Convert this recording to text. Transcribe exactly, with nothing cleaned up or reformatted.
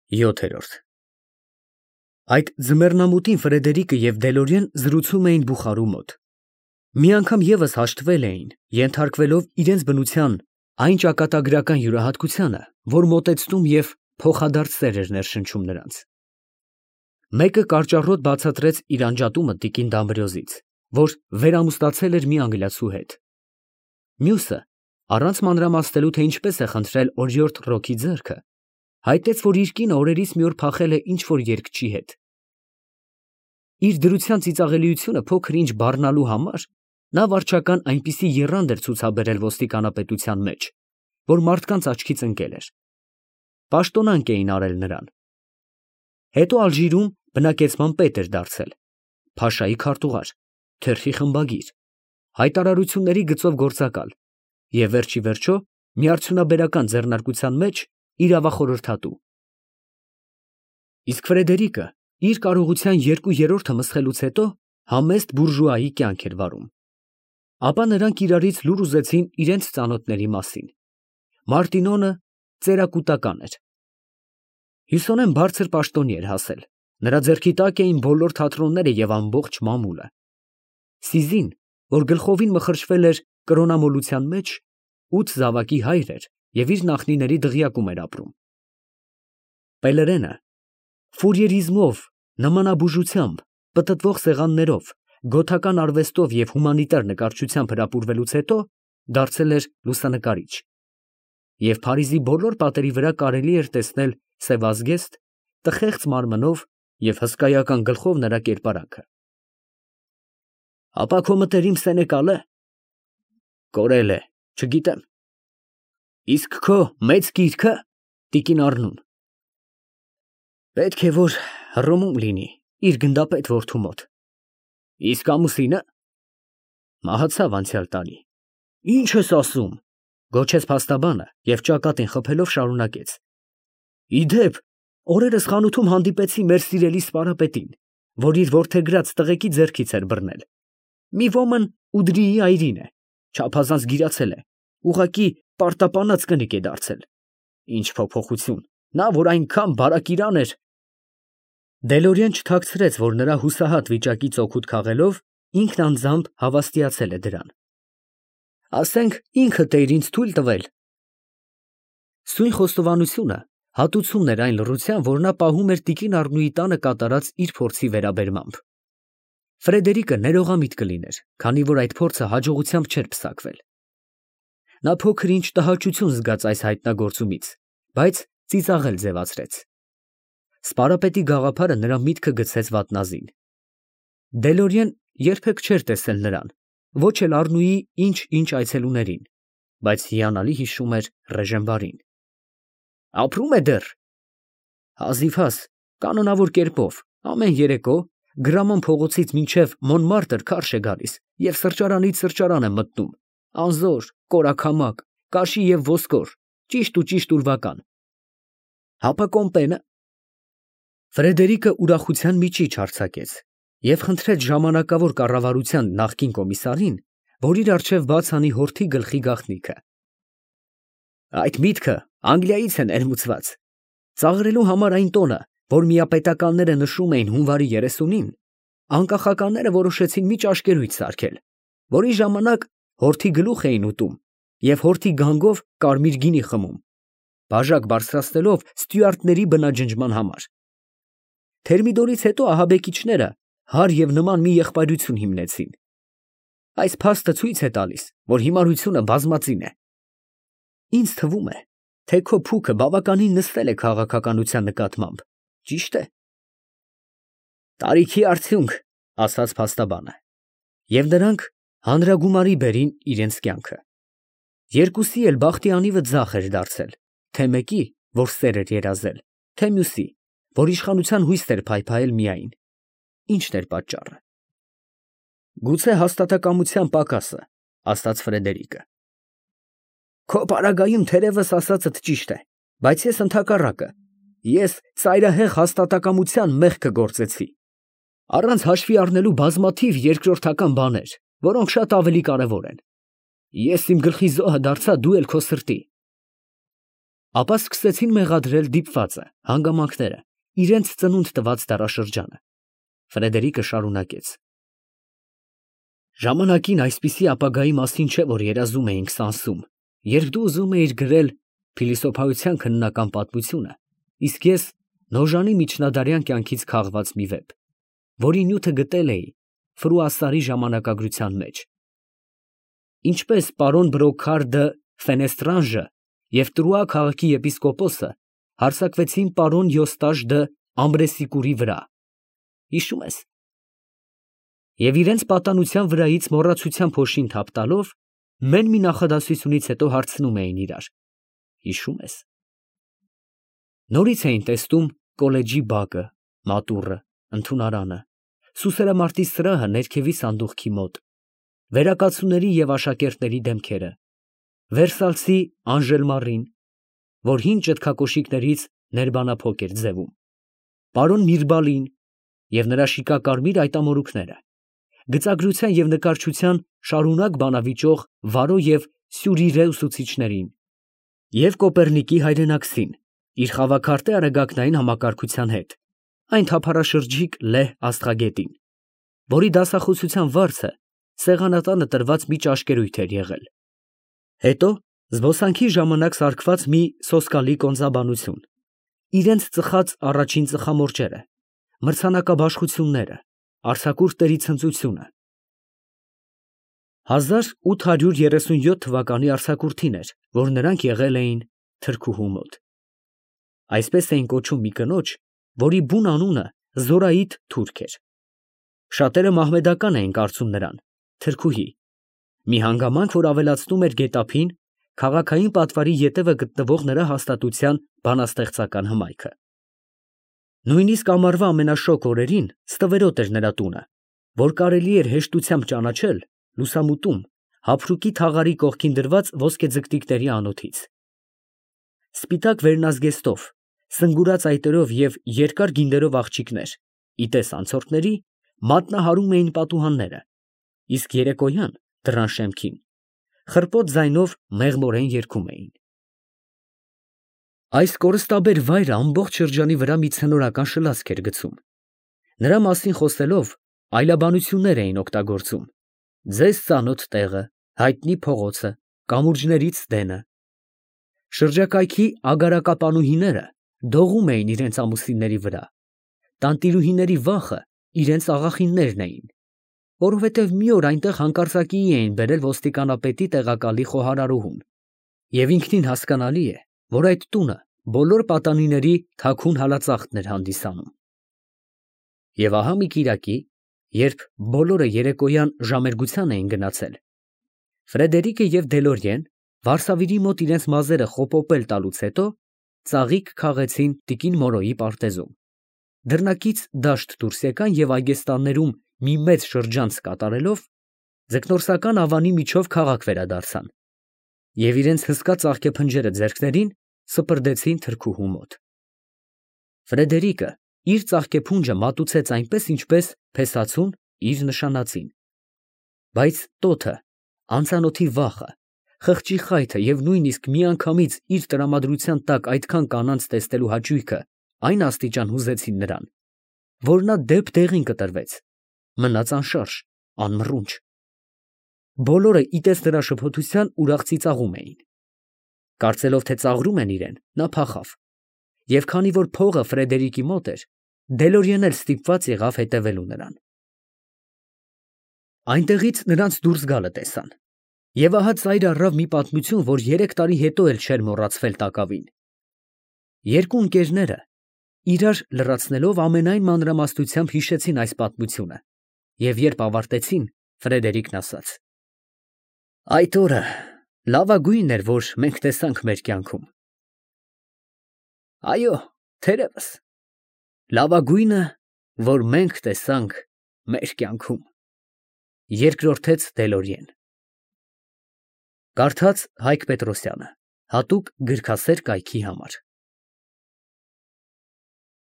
յոթ։ Այդ ձմեռնամուտին Ֆրեդերիկը և Դելորիեն զրուցում էին բուխարու մոտ. մի անգամ ևս հաշտվել էին, ենթարկվելով իրանց բնության այն ճակատագրական յուրահատկությանը, որ մոտեցնում և փոխադարձ սեր էր ներշնչում նրանց։ Մեկը կարճառոտ բացատրեց իր անջատումը տիկին Դամբրիոզից, որ վերամուստացել էր մի անգլիացու հետ։ Մյուսը, առանց մանրամասնելու, թե ինչպես է խնդրել օրիորդ Ռոքի ձեռքը, հայտնեց, որ իր կինը օրերից մի օր փախել է ինչ֊որ երգչի հետ։ Իր դրության ծիծաղելիությունը փոքր-ինչ բառնալու համար նա վարչական այնպիսի եռանդ էր ցուցաբերել ոստիկանապետության մեջ, որ մարդկանց աչքից ընկել էր։ Պաշտոնանկ էին արել նրան։ Հետո Ալժիրում բնակեցման պետ էր դարձել, փաշայի քարտուղար, թերթի խմբագիր, հայտարարությունների գծով գործակալ և վերջիվերջո միարդյունաբերական ձեռնարկության մեջ իրավախորհրդատու։ Իսկ Ֆրեդերիկը իր կարողության երկու երրորդը մսխելուց հետո համեստ բուրժուայի կյանք էր վարում։ Ապա նրանք իրարից լուր ուզեցին իրենց ծանոթների մասին։ Մարտինոնը ծերակուտական էր։ Հյուսոնեն բարձր պաշտոնի էր հասել, նրա ձեռքի տակ էին բոլոր թատրոնները և ամբողջ մամուլը։ Սիզին, որ գլխովին մխրճվել էր կրոնամոլության մեջ, ութ զավակի հայր էր և իր նախնիների դղյակում էր ապրում։ Պելերենը ֆուրիերիզմով, նմանաբուժությամբ, պտտվող սեղաններով, գոթական արվեստով և հումանիտար նկարչությամբ հրապուրվելուց հետո դարձել էր լուսանկարիչ, և Փարիզի բոլոր պատերի վրա կարելի էր տեսնել սևազգեստ, տխեղծ մարմնով և հսկայական գլխով նրա կերպարանքը։ Ապա քո մտերիմ Սենեկա՞լը։ Կորել է, չգիտեմ։ Իսկ քո մեծ կիրքը, տիկին Առնուն։ Պետք է որ Հռոմում լինի, իր գնդապետ որդու մոտ։ Իսկ ամուսինը։ Մահացավ անցյալ տարի։ Ի՞նչ ես ասում, գոչեց փաստաբանը և ճակատին խփելով շարունակեց. Ի դեպ, օրերս խանութում հանդիպեցի մեր սիրելի սպարապետին, որ իր որդեգրած տղեկի ձեռքից էր բռնել։ Մի ոմն Ուդրիի այրին է, չափազանց գիրացել է, ուղղակի պարտապանած կնիկ է դարձել։ Ինչ փոփոխություն, նա, որ այնքան բարակ իրան էր։ Դելորիեն չթաքցրեց, որ նրա հուսահատ վիճակից օգուտ քաղելով, ինքն անձամբ հավաստիացել է դրան։ Ասենք ինքդ էիր ինձ թույլ տվել։ Սույն խոստովանությունը հատուցումն էր այն լռության, որ նա պահում էր տիկին Առնուի տանը կատարած իր փորձի վերաբերմամբ։ Ֆրեդերիկը ներողամիտ կլիներ, քանի որ այդ փորձը հաջողությամբ չէր պսակվել։ Նա փոքր-ինչ տհաճություն զգաց այս հայտնագործումից, բայց ծիծաղել ձևացրեց։ Սպարապետի գաղափարը նրա միտքը գցեց վատնազին։ Դելորիեն երբեք չէր տեսել նրան, ոչ էլ Առնուի ինչ֊ինչ այցելուներին, բայց հիանալի հիշում էր Ռեժենբարին։ Ապրում է դեռ։ Հազիվհազ, կանոնավոր կերպով, ամեն երեկո Գրամոն փողոցից մինչև Մոնմարտր քարշ է գալիս և սրճարանից սրճարան է մտնում, անզոր, կորաքամակ, կաշի և ոսկոր, ճիշտ ու ճիշտ ուրվական։ Հապա կոմպենը։ Ֆրեդերիկը ուրախության միջիչ արձակեց և խնդրեց ժամանակավոր կառավարության նախկին կոմիսարին, որ իր առջև բաց անի հորթի գլխի գաղտնիքը։ Այդ միտքը Անգլիայից է ներմուծված։ Ծաղրելու համար այն տոնը, որ միապետականները նշում էին հունվարի երեսունին, անկախականները որոշեցին մի ճաշկերույթ սարքել, որի ժամանակ հորթի գլուխ էին ուտում և հորթի գանգով կարմիր գինի խմում, բաժակ բարձրացնելով ստյուարտների բնաջնջման համար։ Թերմիդորից հետո ահաբեկիչները հար և նման մի եղբայրություն հիմնեցին։ Այս փաստը ցույց է տալիս, որ հիմարությունը բազմածին է։ Ինձ թվում է, թե քո փուքը բավականին նստել է քաղաքականության նկատմամբ, ճի՞շտ է։ Տարիքի արդյունք, ասաց փաստաբանը, և նրանք հանրագումարի բերին իրենց կյանքը։ Երկուսի էլ բախտի անիվը ձախ էր դարձել, թե մեկի, որ սեր էր երազել, թե մյուսի, որ իշխանության հույսեր էր փայփայել միայն։ Ի՞նչն էր պատճառը։ Գուցե հաստատակամության պակասը, ասաց Ֆրեդերիկը։ Քո պարագայում թերևս ասածդ ճիշտ է, բայց ես ընդհակառակը, ես ծայրահեղ հաստատակամության մեղքը գործեցի, առանց հաշվի առնելու բազմաթիվ երկրորդական բաներ, որոնք շատ ավելի կարևոր են։ Ես իմ գլխի զոհը դարձա դու էլ քո սրտի։ Ապա սկսեցին մեղադրել դիպվածը, հանգամանքները, իրենց ծնունդ տված դարաշրջանը։ Ֆրեդերիկը շարունակեց. Ժամանակին այսպիսի ապագայի մասին չէ, որ երազում էինք Սանսում, երբ դու ուզում էիր գրել փիլիսոփայության քննական պատմությունը, իսկ ես Նոժանի միջնադարյան կյանքից քաղված մի վեպ, որի նյութը գտել էի Ֆրուասարի ժամանակագրության մեջ։ Ինչպես պարոն Բրոքար դը Ֆենեստրանժը և Տրուա քաղաքի եպիսկոպոսը հարձակվեցին պարոն Յոստաժ դը Ամբրեսիկուրի վրա, հիշում ես, և իրենց պատանության վրայից մոռացության փոշին թափ տալով, մեն մի նախադասությունից հետո հարցնում էին իրար, հիշում ես։ Նորից էին տեսնում կոլեջի բակը, մատուռը, ընդունարանը, սուսերամարտի սրահը ներքևի սանդուղքի մոտ, վերակացուների և աշակերտների դեմքերը, Վերսալսի Անժելմարին, որ հին ճտկակոշիկներից ներբանափոկ էր ձևում, պարոն Միրբալին և նրա շիկակարմիր այտամորուքները, գծագրության և նկարչության շարունակ բանավիճող Վարո և Սյուրիրե ուսուցիչներին և Կոպեռնիկի հայրենակցին, իր խավաքարտե արեգակնային համակարգության հետ, այն թափառաշրջիկ լեհ աստղագետին, որի դասախոսության վարձը սեղանատանը տրված մի ճաշկերույթ էր եղել, հետո զբոսանքի ժամանակ սարքված մի սոսկալի կոնծաբանություն, իրենց ծխած առաջին ծխամորճերը, մրցանակաբաշխությունները, արձակուրդների ցնծությունը, հազար ութ հարյուր երեսունյոթ թվականի արձակուրդին էր, որ նրանք եղել էին թրքուհու մոտ։ Այսպես էին կոչում մի կնոջ, որի բուն անունը Զորայիդ թուրք էր։ Շատերը մահմեդական էին կարծում նրան, թրքուհի, մի հանգամանք, որ ավելացնում էր գետափին, քաղաքային պատվարի ետևը գտնվող նրա հաստատության բանաստեղծական հմայքը։ Նույնիսկ ամառվա ամենաշոգ օրերին ստվերոտ էր նրա տունը, որ կարելի էր հեշտությամբ ճանաչել լուսամուտում հափրուկի թաղարի կողքին դրված ոսկեձգտիկների անոթից։ Սպիտակ վերնազգեստով, սնգուրած այտերով և երկար գինդերով աղջիկներ, ի տես անցորդների, մատնահարում էին պատուհանները, իսկ երեկոյան դռան շեմքին խռպոտ ձայնով մեղմորեն երգում էին։ Այս կորստաբեր վայրը ամբողջ շրջանի վրա մի ցնորական շլացք էր գցում։ Նրա մասին խոսելով այլաբանություններ էին օգտագործում. ձեզ ծանոթ տեղը, հայտնի փողոցը, կամուրջներից դենը։ Շրջակայքի ագարակապանուհիները դողում էին իրենց ամուսինների վրա, տանտիրուհիների վախը իրենց աղախիններն էին, որովհետև մի օր այնտեղ հանկարծակիի էին բերել ոստիկանապետի տեղակալի խոհարարուհուն, և ինքնին հասկանալի է, որ այդ տունը բոլոր պատանիների թաքուն հալածախտն էր հանդիսանում։ Եվ ահա մի կիրակի, երբ բոլորը երեկոյան ժամերգության էին գնացել, Ֆրեդերիկը և Դելորիեն վարսավիրի մոտ իրենց մազերը խոպոպել տալուց հետո ծաղիկ քաղեցին տիկին Մորոյի պարտեզում, դռնակից դաշտ դուրս եկան և այգեստաններում մի մեծ շրջանց կատարելով, ձկնորսական ավանի միջով քաղաք վերադարձան և իրենց հսկա ծաղկեփնջերը ձեռքներին սպրդեցին թրքուհու մոտ։ Ֆրեդերիկը իր ծաղկեփունջը մատուցեց այնպես, ինչպես փեսացուն իր նշանածին, բայց տոթը, անծանոթի վախը, խղճի խայթը և նույնիսկ միանգամից իր տրամադրության տակ այդքան կանանց տեսնելու հաճույքը այն աստիճան հուզեցին նրան, որ նա դեպ դեղին կտրվեց, մնաց անշարժ, անմռունչ։ Բոլորը ի տես նրա շփոթության ուրախ ծիծաղում էին։ Կարծելով, թե ծաղրում են իրեն, նա փախավ, և քանի որ փողը Ֆրեդերիկի մոտ էր, Դելորիեն էլ ստիպված եղավ հետևելու նրան։ Այնտեղից նրանց դուրս գալը տեսան, և ահա ծայր առավ մի պատմություն, որ երեք տարի հետո էլ չէր մոռացվել տակավին։ Երկու ընկերները իրար լրացնելով ամենայն մանրամասնությամբ հիշեցին այս պատմությունը, և երբ ավարտեցին, Ֆրեդերիկն ասաց. այդ օրը լավագույնն էր, որ մենք տեսանք մեր կյանքում։ Այո, թերևս, լավագույնը, որ մենք տեսանք մեր կյանքում, երկրորդեց Դելորիեն։ Կարդաց Հայկ Պետրոսյանը, հատուկ գրքասեր կայքի համար։